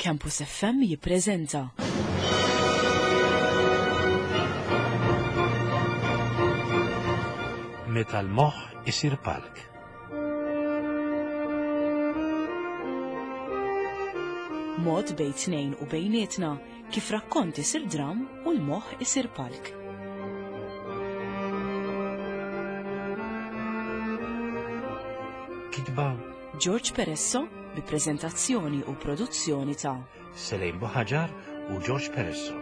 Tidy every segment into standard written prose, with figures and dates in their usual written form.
Campus FM jippreżenta. Meta l-moħħ isir palk. Mod bejn tnejn u bejnietna kif rakkont isir dram u l-moħħ isir palk. Kitba George Peresso bi preżentazzjoni u produzzjoni ta' Selejn Buħaġar u George Peresso.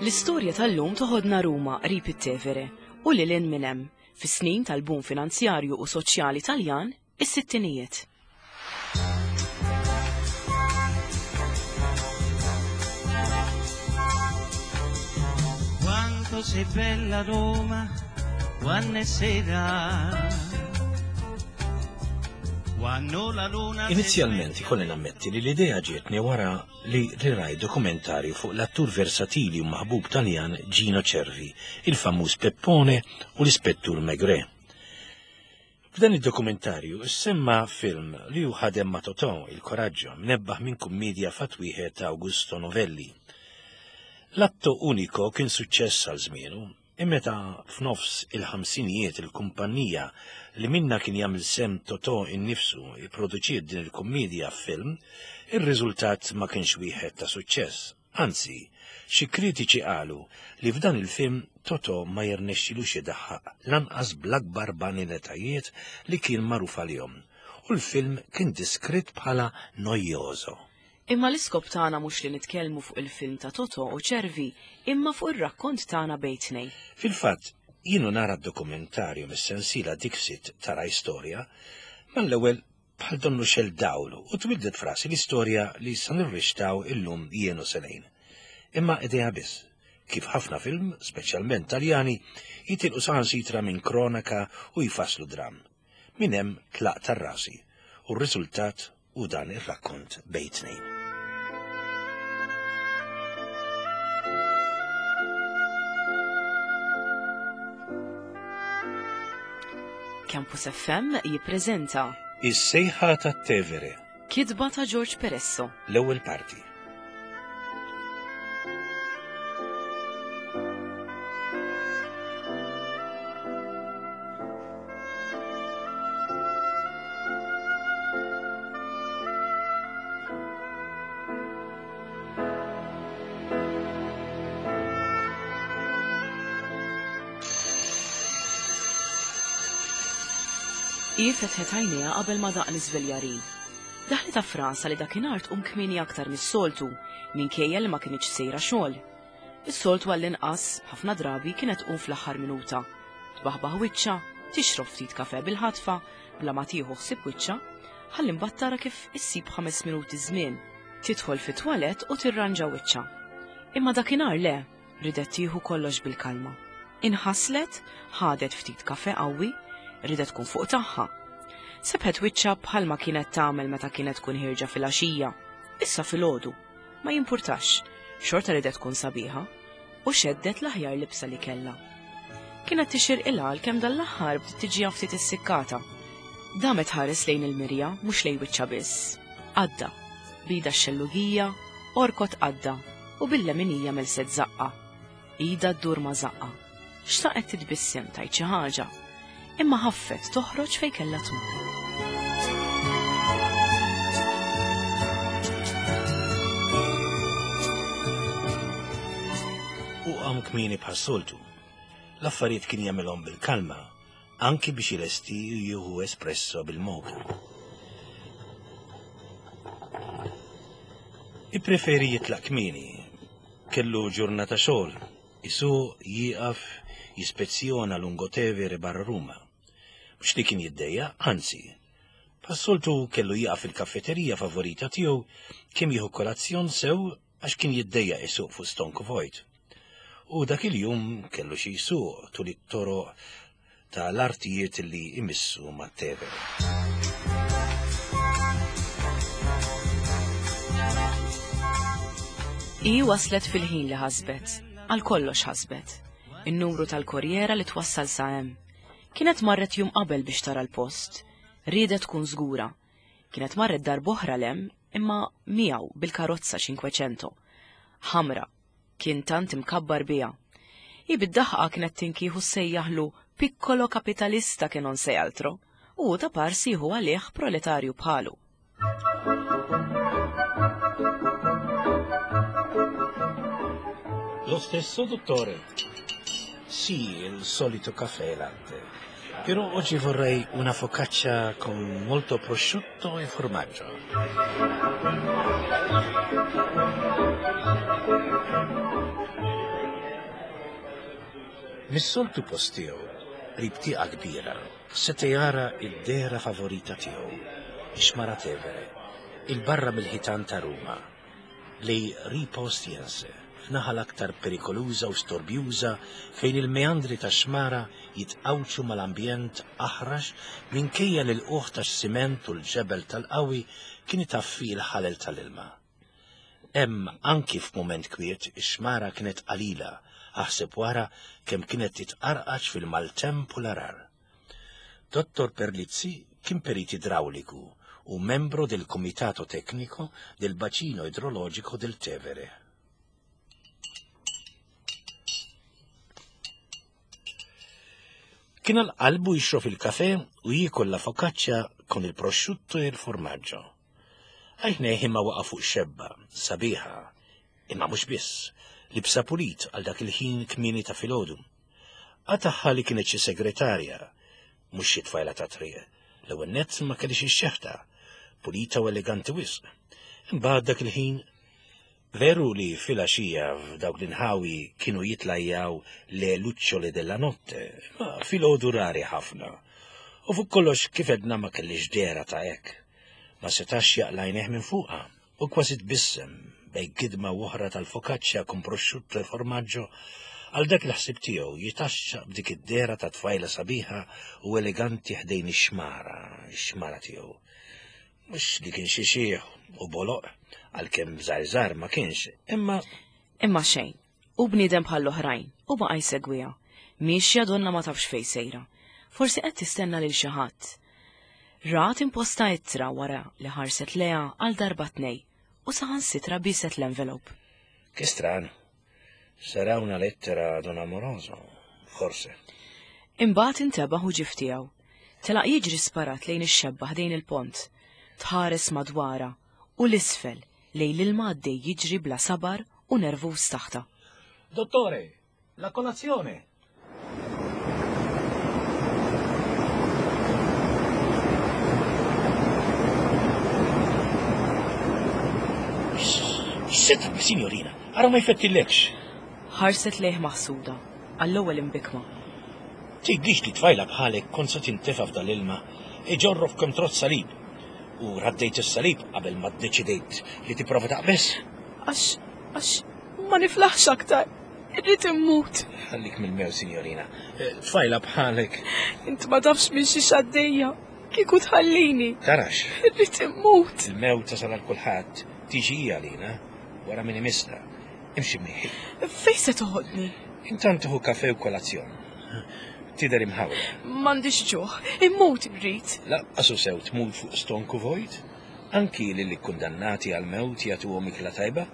L-istorja tal-lum toħodna Ruma qrib it-Tevere u lil hinn minn hemm, fis-snin tal-boom finanzjarju u soċjali Taljan, is-sittinijiet. Quanto sei bella Roma, quando è sera. Quando la luna Inizjalment ikolli nammetti li l-idea ġietni wara li riraj dokumentarju fuq l-attur versatili u maħbub Taljan Gino Cervi, il-famuż Peppone u l-Ispettur Maigret. F'dan id-dokumentarju semma film li hu ħadem ma' Totò, Il Coraggio, mnebbaħ minn kummedja fatt wieħed ta' Augusto Novelli. L-atto unico kien suċċess għal żmienu, Imma meta f'nofs il-ħamsinijiet il-kumpannija li minnha kien jagħmel sehem Totò innifsu ipproduċiet din il-kummiedja f'film, ir-riżultat ma kienx wieħed ta' suċċess. Anzi, xi kritiċi qalu li f'dan il-film Totò ma jirnexxilux idaħħaq lanqas bl-akbar baniletajiet li kien magħruf għalihom, u l-film kien diskritt bħala noioso. Imma l-iskop tagħna mhux li nitkellmu fuq il-film ta' Totò u Cervi, imma fuq ir-rakkont tagħna bejn tnejn. Fil-fatt, jien u nara d-dokumentarju mis-sensiela Dixit ta' Rai Storia, mal-ewwel bħal donnu xegħel dawl u twildet f'rasi l-istorja li sa nirrixtaw illum jien u Selene. Imma idea biss, kif ħafna film, speċjalment Taljani, jitilqu saħansitra minn kronaka u jfasslu dramm. Minn hemm tlaqt għal rasi u r-riżultat hu dan ir-rakkont bejn tnejn. Campus FM jippreżenta Is-sejħa tat-Tevere. Kitba ta' George Peresso. L-ewwel parti. Hi fetħet għajnejha qabel ma daq l-iżveljarin. Daħlitha f'rasha li dakinhar tqum kmieni aktar mis-soltu, minkejja li ma kinitx sejra xogħol. Is-soltu għall-inqas, ħafna drabi kienet tqum fl-aħħar minuta. Tbaħbaħ wiċċha, tixrob ftit kafè bil-ħatfa, bla ma tieħu ħsieb wiċċha, ħalli mbagħad tara kif issib ħames minuti żmien, tidħol fit-twalett u tirranġa wiċċha. Imma dakinhar le, ridet tieħu kollox bil-kalma. Inħaslet, ħadet ftit kafè qawwi, ridet tkun fuq tagħha. Sebħet wiċċha bħalma kienet tagħmel meta kienet tkun ħierġa filgħaxija, issa filgħodu. Ma jimpurtax, xorta ridet tkun sabiħa, u xeddet l-aħjar libsa li kellha. Kienet tixirqilha għalkemm dan l-aħħar bdiet tiġiha ftit issikkata. Damet tħares lejn il-mirja, mhux lejn wiċċha biss. Għadda. B'idha x-xellugija, orkot għadda, u bil-leminija melset żaqqha. Idha ddur ma' żaqqha. Xtaqet titbissem tgħid xi ħaġa, imma ħaffet toħroġ fejn kellha tmur. U qam kmieni bħas-soltu. L-affarijiet kien jagħmilhom bil-kalma, anki biex ilesti u jieħu espresso bil-moka. Ippreferi jitlaq kmieni. Kellu ġurnata xogħol, Isuq, jieqaf, jispezzjona Lungotevere barra Ruma. Mhux li kien jiddejjaq, anzi. Bħas-soltu kellu jieqaf fil-kaffeterija favorita tiegħu kemm jieħu kolazzjon sew għax kien jiddejjaq isuq fuq stonku vojt. U dak il-jum kellu xi jsuq tul it-toroq. ta' l-artijiet li jmissu ma' Tevere. Hi waslet fil-ħin li ħasbet, għal kollox ħasbet. In-numru tal-korjera li twassal sa hemm. Kienet marret jum qabel biex tara l-post. Riedet tkun żgura. Kienet marret darb'oħra 'l hemm imma miegħu bil-karozza 500. Ħamra. Kien tant imkabbar biha. Hi bid-daħqa kienet tinkieħu ssejjaħlu piccolo capitalista che non sei altro u hu ta' parsi jieħu għalih proletarju bħalu. Lo stesso, dottore? Sì, il solito caffè e latte. Però oggi vorrei una focaccia con molto prosciutto e formaggio. Mis-soltu post tiegħu, qrib tieqa kbira, seta' jara d-dehra favorita tiegħu, ix-xmara Tevere, 'il barra mill-ħitan ta' Ruma. Lejn Ripa Ostiense, f'naħa l-aktar perikoluża u storbjuża fejn il-meandri tax-xmara jitqawċu mal-ambjent aħrax minkejja li l-qugħ tax-siment u l-ġebel tal-qawwi kien itaffi l-ħalel tal-ilma. Hemm anki f'mument kwiet ix-xmara kienet qalila, aħseb wara kemm kienet titqarqaċ fil-maltemp u l-għarar. Dottor Perlizzi kien perit idrawliku u membro del Comitato Tecnico del Bacino Idrologico del Tevere. Kien għal qalbu jixrob il-kafe u jiekol la focaccia con il prosciutto e il formaggio. Għajnejh imma waqa' fuq xebba, sabiħa, imma mhux biss, libsa pulit għal dak il-ħin kmieni ta' filgħodu. Qatagħha li kienet xi segretarja, mhux xi tfajla ta' triq. L-ewwel nett ma kellix ix-xeħta, pulita u eleganti wisq. Imbagħad dak il-ħin veru li filgħaxija f'dawk l-inħawi kienu jitlajjaw le lucciole della notte, ma filgħodu rari ħafna. U fuq kollox kif edna ma kellix dehra ta' hekk. Ma setax jaqla' għajnejh minn fuqha. U kważi tbissem bejn gidma u oħra tal-focaccia con prosciutto e formaggio, għal dak il-ħsieb tiegħu jitaxxaq b'dik id-dehra ta' tfajla sabiħa u eleganti ħdejn ix-xmara, ix-xmara tiegħu. Mhux li kien xi xiħ u boloq, għalkemm żgħir żgħar ma kienx, imma Imma xejn. Hu bniedem bħall-oħrajn u baqa' jsegwiha. Miexja donnha ma tafx fejn sejra. Forsi qed tistenna lil xi ħadd. Rat imposta ittra wara li ħarset lejha għal darba tnej u saħansitra bieset l-envelope. Che strano. Sarà una lettera ad un amoroso, forse. Imbagħad intebaħ u ġie f'tiegħu. Telaq jiġri sparat lejn ix-xebba ħdejn il-pont. Tħares madwarha u 'l isfel lejn l-ilma għaddej jiġri bla sabar u nervuż taħtha. Dottore, la colazione! X'se tagħmel, signorina? Ara ma jfettillekx. Ħarset lejh maħsuda, għall-ewwel imbikkma. Tgħidlix li tfajla bħalek kont se tintefa' f'dal-ilma, iġorrok kemm trott salib. U raddejt is-salib qabel ma ddeċidejt li tipprova taqbeż? Għax, għax ma niflaħx aktar. Irrid immut. Ħallik mill-mew, signorina. Eh, tfajla bħalek. Int ma tafx minn xi xaddejja. Kieku tħallini. Tarax. Irrid immut. Il-mew tasal għal kulħadd. Tiġi għalina wara min imissna. Imxi miegħi. Fejn se toħodni? Intant tieħu kafe u kolazzjon. Tidher imħawla. M'għandix ġuħ, immut irrid. Laqqas u sew tmut fuq stonku vojt? Anki lil ikkundannati għall-mewt jagħtuhom ikla tajba?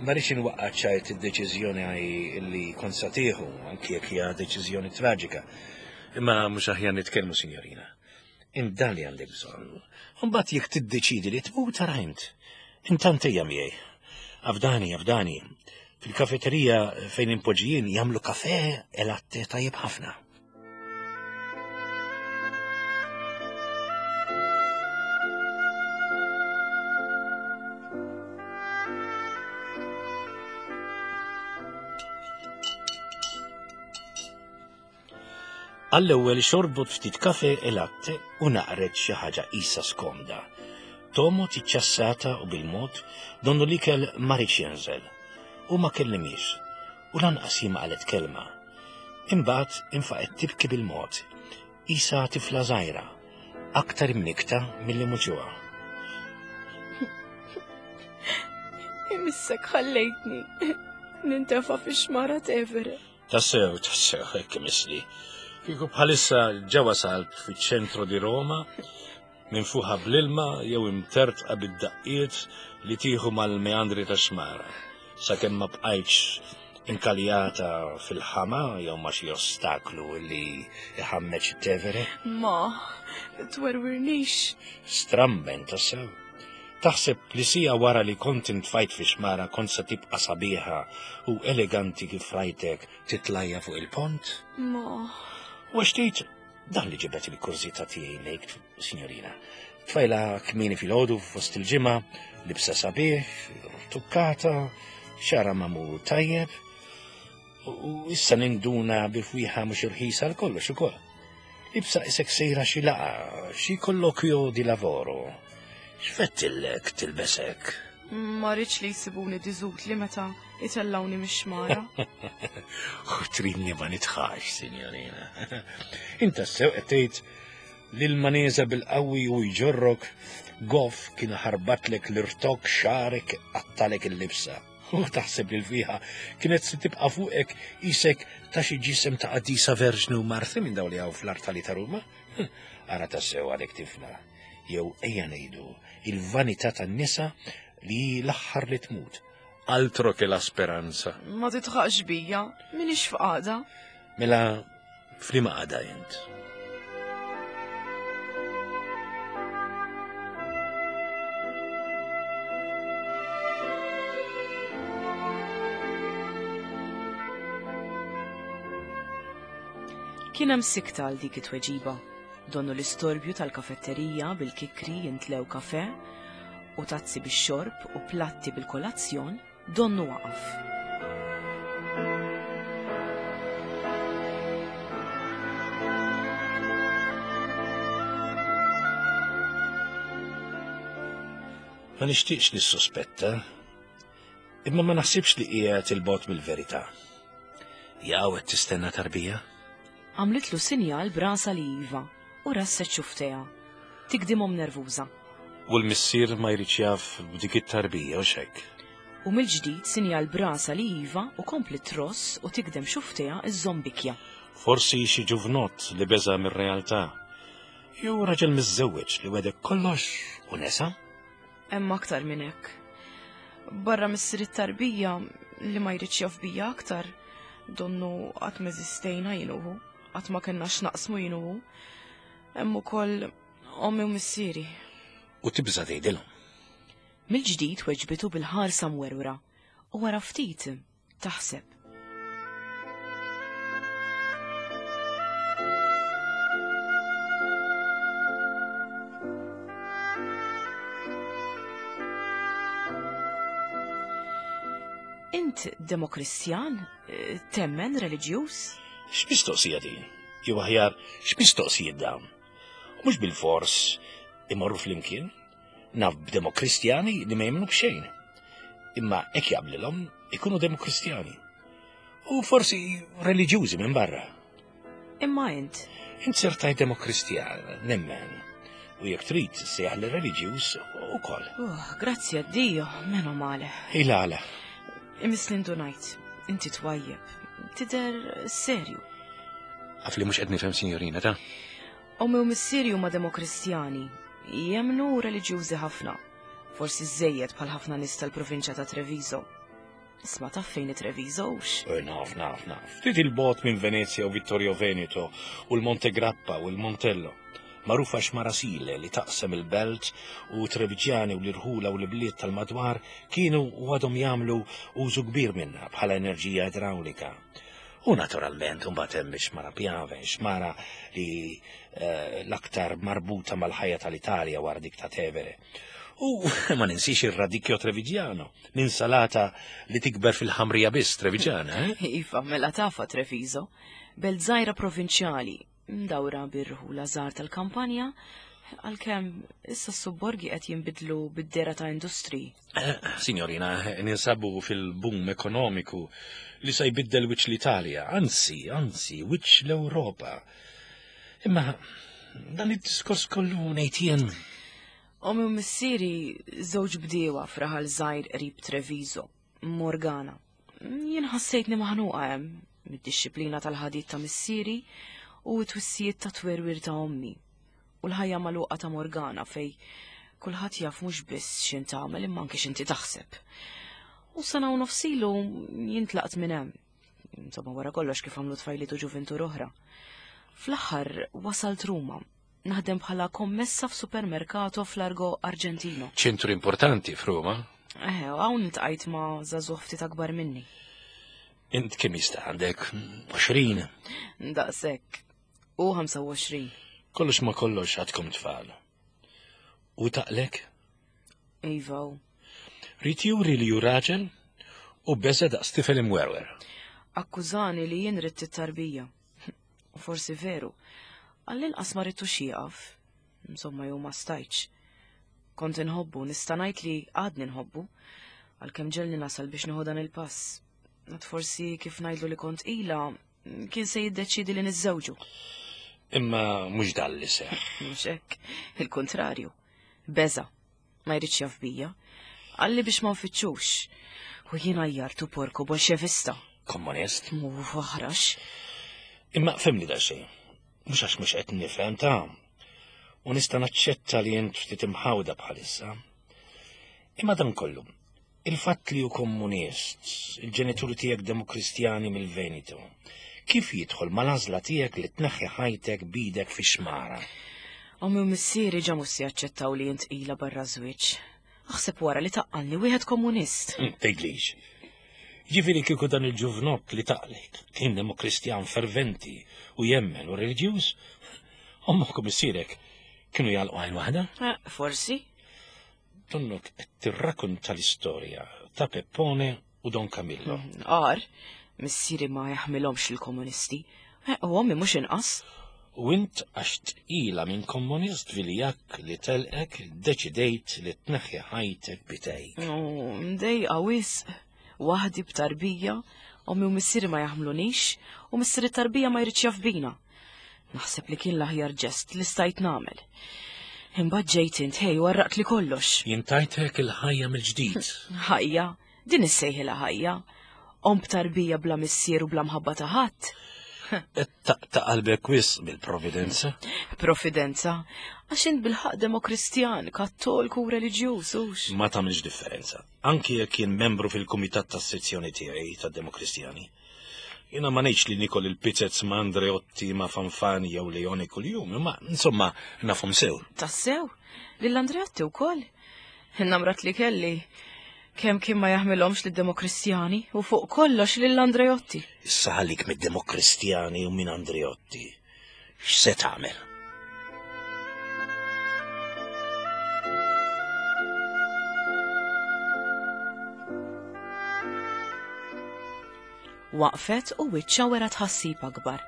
Ma rridx inwaqqa' ċajt id-deċiżjoni li kont sa tieħu, anki jekk hija deċiżjoni traġika. Imma mhux aħjar nitkellmu, sinjorina. Int dan li għandek bżonn. Imbagħad jekk tiddeċidi li tmut ara int. Intant ejja miegħi. Afdani, afdani. Fil-kafeterija fejn inpoġġi jien jagħmlu kafe e latte tajjeb ħafna. Għall-ewwel xorbot ftit kafe e latte u naqret xi ħaġa qisha skomda. Tomgħod iċċassata u bil-mod donnu l-ikel ma riedx jinżel. U ma kellimhiex. U lanqas hi ma qalet kelma. Imbagħad infaqgħet tibki bil-mod. Isa tifla żgħira, aktar imnikta milli muġugħa. Imissek ħallejtni nintefa' fix-xmara Tevere. Tassew, tassew, hekk imissli. Kieku bħalissa ġa wasalt fiċ-ċentru di Roma, minfuħa bl-ilma jew imtertqa bid-daqqiet li tieħu mal-meandri tax-xmara, sakemm ma bqajtx inkaljata fil-ħama jew ma' xi ostaklu li iħammeġ it-Tevere. Ma, twerwirnix. Stramben tassew. Taħseb li sija wara li kont intfajt fi xmara kont se tibqa' sabiħa u eleganti kif rajtek titlajja fuq il-pont? Ma. U għax tgħid dan li ġibet il-kurżità tiegħi lejk, signorina. Tfajla kmieni filgħodu fost il-ġimgħa, libsa sabiħ, tukkata, xara magħmul tajjeb, u issa ninduna bi fwieħa mhux irħisa għal kollox ukoll. Libsa isek sejra xi laqa, xi kollokjo di lavoro. X'fettillek tilbesek? Ma rridx li jsibuni diżutli meta jtellgħuni mix-xmara. U tridni ma nitħax, signorina. Inta sew qed tgħid li l-maneża bil-qawwi u jġorrok goff kien ħarbatlek l-irtok xarek qattalek il-libsa. U taħseb li l-fiħa kienet se tibqa' fuqek isek ta' xi ġisem ta' qaddisa verġni u marti minn dawn li hawn fl-artali ta' Ruma? Ara tassew għalek tifla. Jew ejja ngħidu il-vanità tan-nisa li hi l-aħħar li tmut. Altro che la speranza. Ma titħaqx bija, minix f'qagħda. Mela f'liema qagħda int? Kien hemm sikta għal dik it-tweġiba. Donnu l-istorbju tal-kafetterija bil-kikri jintlew kafe u tazzi bix-xorb u platti bil-kolazzjon donnu waqaf. Ma nixtieqx nissospetta, imma ma naħsibx li qiegħed il-bogħod mill-verità. Jaw qed tistenna tarbija? Għamlitlu sinjal b'rasha li iva u rasset xufftejha. Tigdimhom nervuża. U l-missier ma jridx jaf b'dik it-tarbija, hux hekk? U mill-ġdid sinjal b'rasha li iva u kompliet tross u tigdem xufftejha iżżomm bikja. Forsi xi ġuvnott li beża' mir-realtà. Jew raġel miżżewweġ li wegħdek kollox u nesa? Hemm aktar minn hekk. Barra missier it-tarbija li ma jridx jaf bija aktar, donnu qatt m'eżistejna jien u hu, qatt ma kellna x'naqsmu jien u hu. Hemm ukoll ommi u missieri. U tibża' tgħidilhom. Mill-ġdid weġbitu bil-ħarsa mwerwra u wara ftit taħseb. Int demokristjan? Temmen reliġjuż? X'mistoqsija din? Jew aħjar, x'mistoqsijiet dawn? U mhux bilfors imorru flimkien? Naf b'demokristjani li ma jemmnu b'xejn. Imma hekk jaqblilhom ikunu demokristjani. U forsi reliġjużi minn barra. Imma int? Int ser tajt demokristjan, nemmen. U jekk trid sejjaħ li reliġjuż ukoll. Oh, grazzi a Dio, meno male. Il-għala. Imisli ndunajt, inti twajjeb, tidher serju. Għaf li mhux qed nifhem, signorina, ta' Ommi u missieri huma demokristjani, jemmnu u reliġjużi ħafna, forsi żżejjed bħal ħafna nies tal-provinċja ta' Treviso. Isma' taf fejn hi Treviso hux? Eh, naf, naf, naf. Ftit il-bogħod minn Venezia u Vittorio Veneto u l-Monte Grappa u l-Montello. Magħrufa x'Marasile li taqsem il-belt u Treviġjani u l-irħula u l-ibliet tal-madwar kienu u għadhom jagħmlu użu kbir minnha bħala enerġija idrawlika. U naturalment imbagħad hemm ix-xmara Piave, xmara li eh, l-aktar marbuta mal-ħajja tal-Italja wara dik ta' Tevere. U ma ninsix ir-radicchio Trevigiano, l-insalata li tikber fil-ħamrija biss Trevigiana, eh? Iva, mela tafa Treviso, belt żgħira provinċjali, mdawra bir-rħula żgħar tal-kampanja, għalkemm issa s-subborgi qed jinbidlu bid-dehra ta' industriji. Eh, signorina, ninsabu fil-boom ekonomiku li se jbiddel wiċċ l-Italja, anzi, anzi, wiċċ l-Ewropa. Imma dan id-diskors kollu ngħid jien. Ommi u missieri żewġ bdiewa f'raħal żgħir qrib Treviso, Morgana. Jien ħassejtni maħnuqa hemm mid-dixxiplina tal-ħadid ta' missieri u t-twissijiet ta' twerwir ta' ommi u l-ħajja magħluqa ta' Morgana fej kulħadd jaf mhux biss x'int tagħmel imma anke x'inti taħseb. U sena u nofsilu jien tlaqt minn hemm. Insomma wara kollox kif għamlu tfajliet u ġuvintur oħra. Fl-aħħar wasalt Ruma, naħdem bħala kommessa f'supermercato f'Largo Argentino. Ċentru importanti f'Ruma. Eh, hawn iltqajt ma' żagħżugħ ftit akbar minni. Int kemm jista' għandek 20? Daqshekk. U 25. Kollox ma kollox għadkom tfal. U taqlek? Iva. u. Rid juri li hu raġel u beża daqs tifel imwerwer. Akkużani li jien ridt it-tarbija. U forsi veru. Għall-inqas ma ridtux jieqaf. Insomma, jew ma stajtx. Kont inħobbu, nista' ngħid li għadni nħobbu, għalkemm ġelni nasal biex nieħu dan il-pass. Għad forsi kif ngħidlu li kont ila, kien se jiddeċidi li niżżewġu. Imma mhux dan li seħħ. Mhux hekk, il-kuntrarju. Beża, ma jridx jaf bija. Qalli biex ma nfittxux. U jien għajjartu porku bolxevista. Komunist? Mu aħrax. Imma fimni da xejn. Mhux għax mhux qed nifhem ta' u nista' naċċetta li int ftit imħawda bħalissa. Imma dan kollu, il-fatt li hu komunist, il-ġenituri tiegħek demokristjani mill-Veneto, kif jidħol mal-għażla tiegħek li tneħħi ħajtek b'idek fix-xmara? Ommi u missieri ġa mhux se jaċċettaw li int qila barra żwieġ. Aħseb wara li taqqalni wieħed komunist. Tgħidlix. Ġifieri kieku dan il-ġuvnott li taqlek kien demokristjan ferventi u jemmen u reliġjuż, ommok u missierek kienu jagħlqu għajn waħda? Eh, forsi. Donnok qed tirrakunta l-istorja ta' Peppone u Don Camillo. Għar, missieri ma jaħmilhomx il-komunisti. Eh, u ommi mhux inqas. U int għax tqila minn komunist viljak li telqek deċidejt li tneħħi ħajtek bitejk. U mdejqa wisq, waħdi b'tarbija, ommi u missieri ma jaħmlunix, u missieri tarbija ma jridx jaf bina. Naħseb li kien l-aħjar ġest li stajt nagħmel. Imbagħad ġejt int ħej u għarraqt li kollox. Jien tajtek il-ħajja mill-ġdid. Ħajja, din issejħilha ħajja. Omm b'tarbija bla missier u bla mħabba ta' ħadd. Qed taqta' qalbek wisq bil-providenza. Providenza, għax int bilħaqq demokristjan, kattolku u reliġjuż, hux? Ma tagħmilx differenza. Anki jekk jien membru fil-kumitat tas-sezzjoni tiegħi tad-Demokristjani. Jiena ma ngħidx li nikol il-pizzez ma' Andreotti, ma' Fanfani jew Leone kuljum, imma insomma nafhom sew. Tassew? Lil Andreotti wkoll? Namrat li kelli kemm kien ma jaħmilhomx lid-Demokristjani u fuq kollox lil Andreotti. Issa ħallik mid-Demokristjani u minn Andreotti. X'se tagħmel? Waqfet u wiċċha wera tħassib akbar.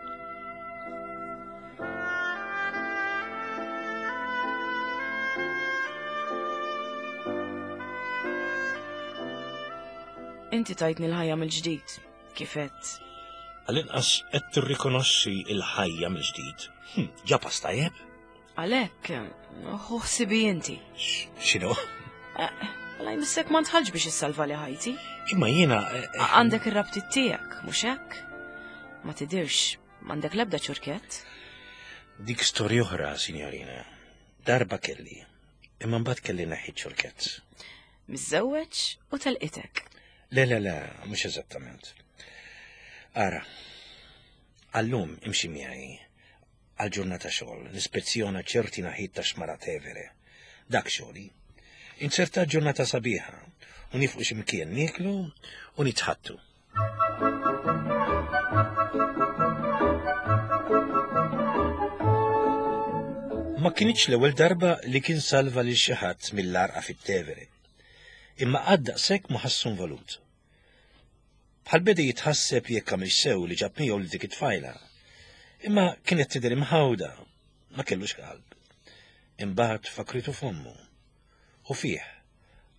Inti tajtni l-ħajja mill-ġdid, kif għedt. Għall-inqas qed tirrikonoxxi l-ħajja mill-ġdid. Hm, ġa pass tajjeb? Għalhekk, ħu ħsibi inti. X'inhu? Eh, għala jmissek ma ntħalġ biex issalva li ħajti. Imma jiena. Eh, eh, għandek ir-rabtiet tiegħek, mhux hekk? Ma tidirx, m'għandek l-ebda ċurkett. Dik storja oħra, signorina. Darba kelli, imma mbagħad kelli neħħi ċurkett. Miżżewweġ u telqitek. Le, le, le, mhux eżattament. Ara, għallum imxi miegħi għal ġurnata xogħol, nispezzjona ċerti naħiet ta' xmara Tevere. Dak xogħli. Inzerta ġurnata sabiħa u nifqu x'imkien nieklu u nitħattu. Ma kinitx l-ewwel darba li kien salva lil xi ħadd mill-għarqa fit-Tevere. Imma qatt daqshekk ma ħassu involut. Bħal beda jitħasseb jekk għamilx sew li ġab miegħu lil dik it-tfajla. Imma kienet tidher imħawda, ma kellux qalb. Imbagħad fakritu f'ommu. U fih,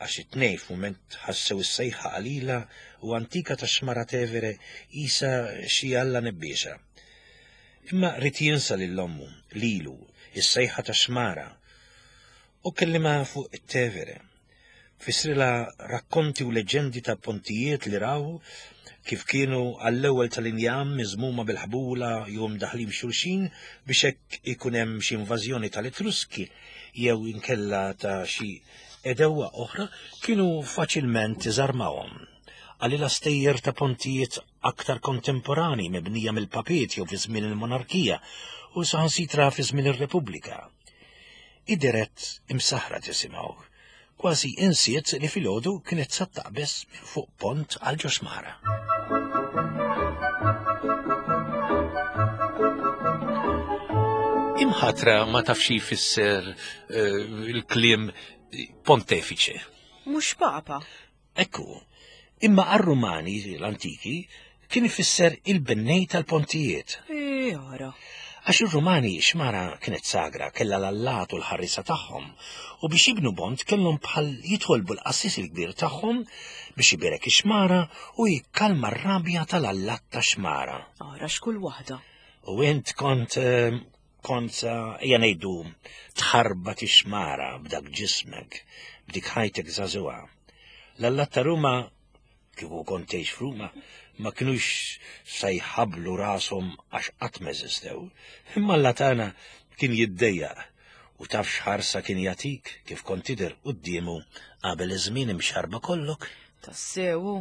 għax it-tnejn f'mument ħassew is-sejħa qalila u antika tax-xmara Tevere qisha xi alla nebbiexa. Imma ried jinsa lil ommu, lilu, is-sejħa tax-xmara. U kellimha fuq it-Tevere. Fissrilha rakkonti u leġġendi ta' pontijiet li raw kif kienu għall-ewwel tal-injam miżmuma bil-ħbula jew imdaħħlin f'xulxin biex hekk ikun hemm xi invażjoni tal-Etruski jew inkella ta' xi għedewwa oħra kienu faċilment iżarmawhom. Qalilha stejjer ta' pontijiet aktar kontemporani mibnija mill-papiet jew fi żmien il-monarkija u saħansitra fi żmien ir-Repubblika. Hi dehret imsaħħra tisimgħu. Kważi insiet li filgħodu kienet sa taqbeż minn fuq pont għal ġo xmara. Imħatra ma tafx xi jfisser eh, il-kliem pontefiċe. Mhux papa. Ekku, imma għar-Rumani l-antiki kien ifisser il-bennej tal-pontijiet. Ora. Għax ir-Rumani xmara kienet sagra, kellha l-allat u l-ħarriesa tagħhom, u biex jibnu bont kellhom bħal jitolbu l-qassis il-kbir tagħhom biex ibierek ix-xmara u jikkalma r-rabja tal-allat tax-xmara. Ara x'kull waħda. U int kont eh, Kont sa, ejja ngħidu, tħarbat ix-xmara b'dak ġismek, b'dik ħajtek żagħżugħa. L-allat ta' Ruma, kieku kont tgħix f'Ruma, ma kinux sa jħabblu rashom għax qatt m'eżistew. Imma Alla tagħna kien jiddejjaq u taf x'ħarsa kien jagħtik kif kont tidher quddiemu qabel iż-żmien imxarrba kollok. Tassew hu.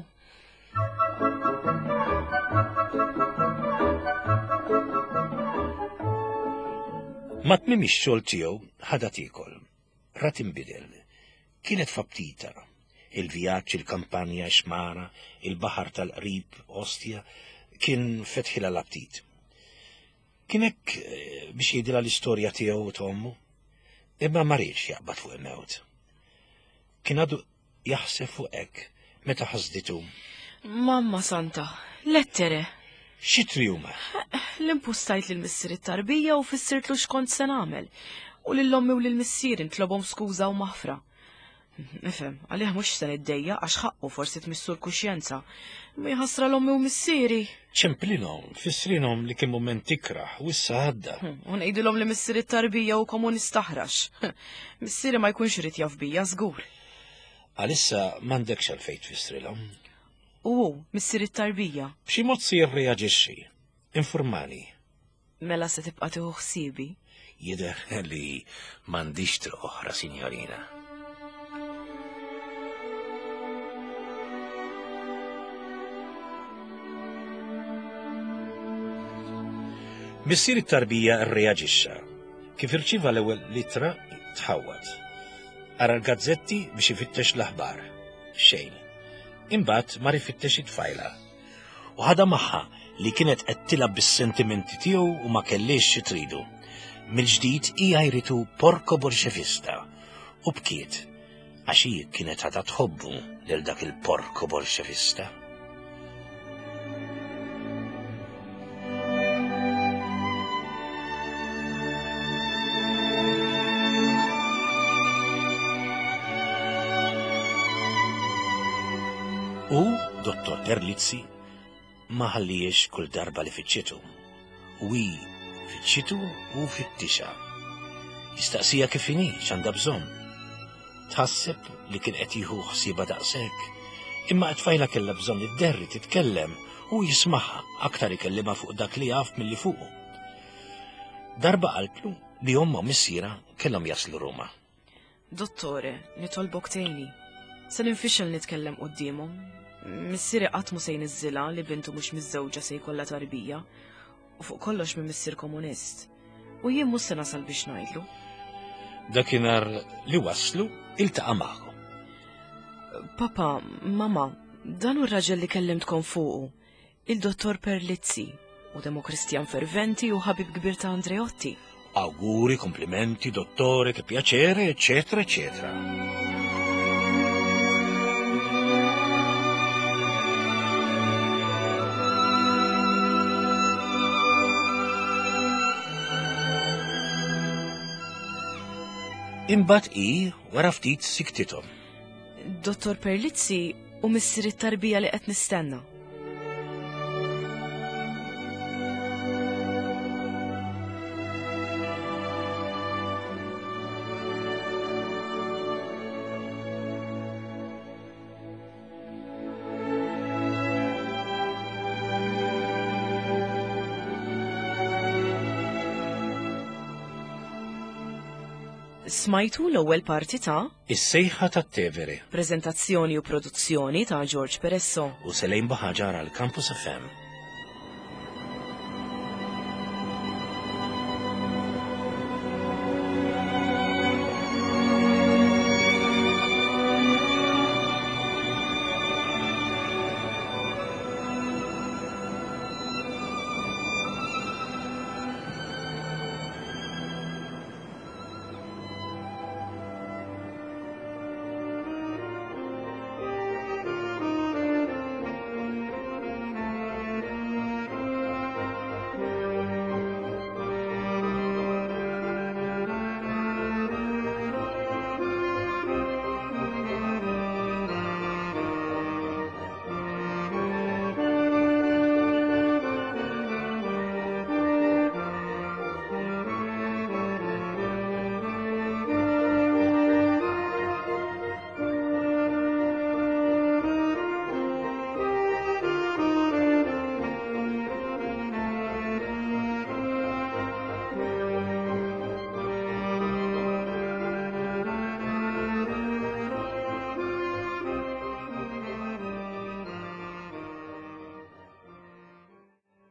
Ma' tmiem ix-xogħol tiegħu ħadha tiekol. Rat inbidel. Kienet f'aptita. Il-vjaġġ, il-kampanja, ix-xmara, il-baħar tal-qrib, Ostia, kien fetħilha l-aptit. Kien hekk eh, biex jgħidilha l-istorja tiegħu u t'ommu. Imma ma riedx jaqbad fuq il-mewt. Kien għadu Jaħseb fuq hekk meta ħasditu. Mamma Santa, lettere! X'itri huma? L-impustajt lil missier it-tarbija u fissirtlu x'kont se nagħmel. U lil ommi u lil missieri nitlobhom skuża u maħfra. Nifhem, għalih mhux se niddejjaq għax ħaqqu forsi tmissu l-kuxjenza. Ma jħassra l-ommi u missieri. Ċemplinhom, fissrinhom li kien mument ikrah u issa għadda. U ngħidilhom li missier it-tarbija hu komunist aħrax. Missieri ma jkunx irid jaf bija żgur. Għalissa m'għandekx għalfejn tfissrilhom. U hu, missier it-tarbija. B'xi mod se jirreaġixxi. Informani. Mela se tibqa' tieħu ħsiebi? Jidher li m'għandix triq oħra, sinjorina. Missier it-tarbija rreaġixxa. Kif irċieva l-ewwel ittra, tħawwad. Qara l-gazzetti biex ifittex l-aħbar. Xejn. Imbagħad mar ifittex it-tfajla. U ħadha magħha li kienet qed tilgħab bis-sentimenti tiegħu u ma kellhiex xi tridu. Mill-ġdid hi għajritu porco bolxevista u bkiet għax hi kienet għadha tħobbu lil dak il-porco bolxevista. U Dottor Terlizzi ma ħalliex kull darba li fittxitu. U hi fittxitu u fittixha. Jistaqsija kif inhi, x'għandha bżonn. Tħasseb li kien qed jieħu ħsiebha daqshekk. Imma t-tfajla kellha bżonn idderri titkellem u jismagħha aktar ikellimha fuq dak li jaf milli fuqu. Darba qaltlu li ommha u missierha kellhom jaslu Ruma. Dottore, nitolbok tgħinni. Se ninfixel nitkellem quddiemhom. Missieri qatt mhu se jniżżilha li bintu mhux miżżewġa se jkollha tarbija. U fuq kollox minn missier komunist. U jien mhux se nasal biex ngħidlu. Dakinhar li waslu iltaqa' magħhom. Papa, mama, dan hu r-raġel li kellimtkom fuqu, il-Dottor Perlizzi, u demokristjan ferventi u ħabib kbir ta' Andreotti. Auguri, komplimenti, dottore, che piacere, eccetera, eccetera. Imbagħad hi wara ftit siktithom. Dottor Perlizzi u missier it-tarbija li qed nistenna. Smajtu l-ewwel parti ta' Is-sejħa tat-Tevere Preżentazzjoni u produzzjoni ta' George Peresso. u Selejn Baħaġar għal Campus FM.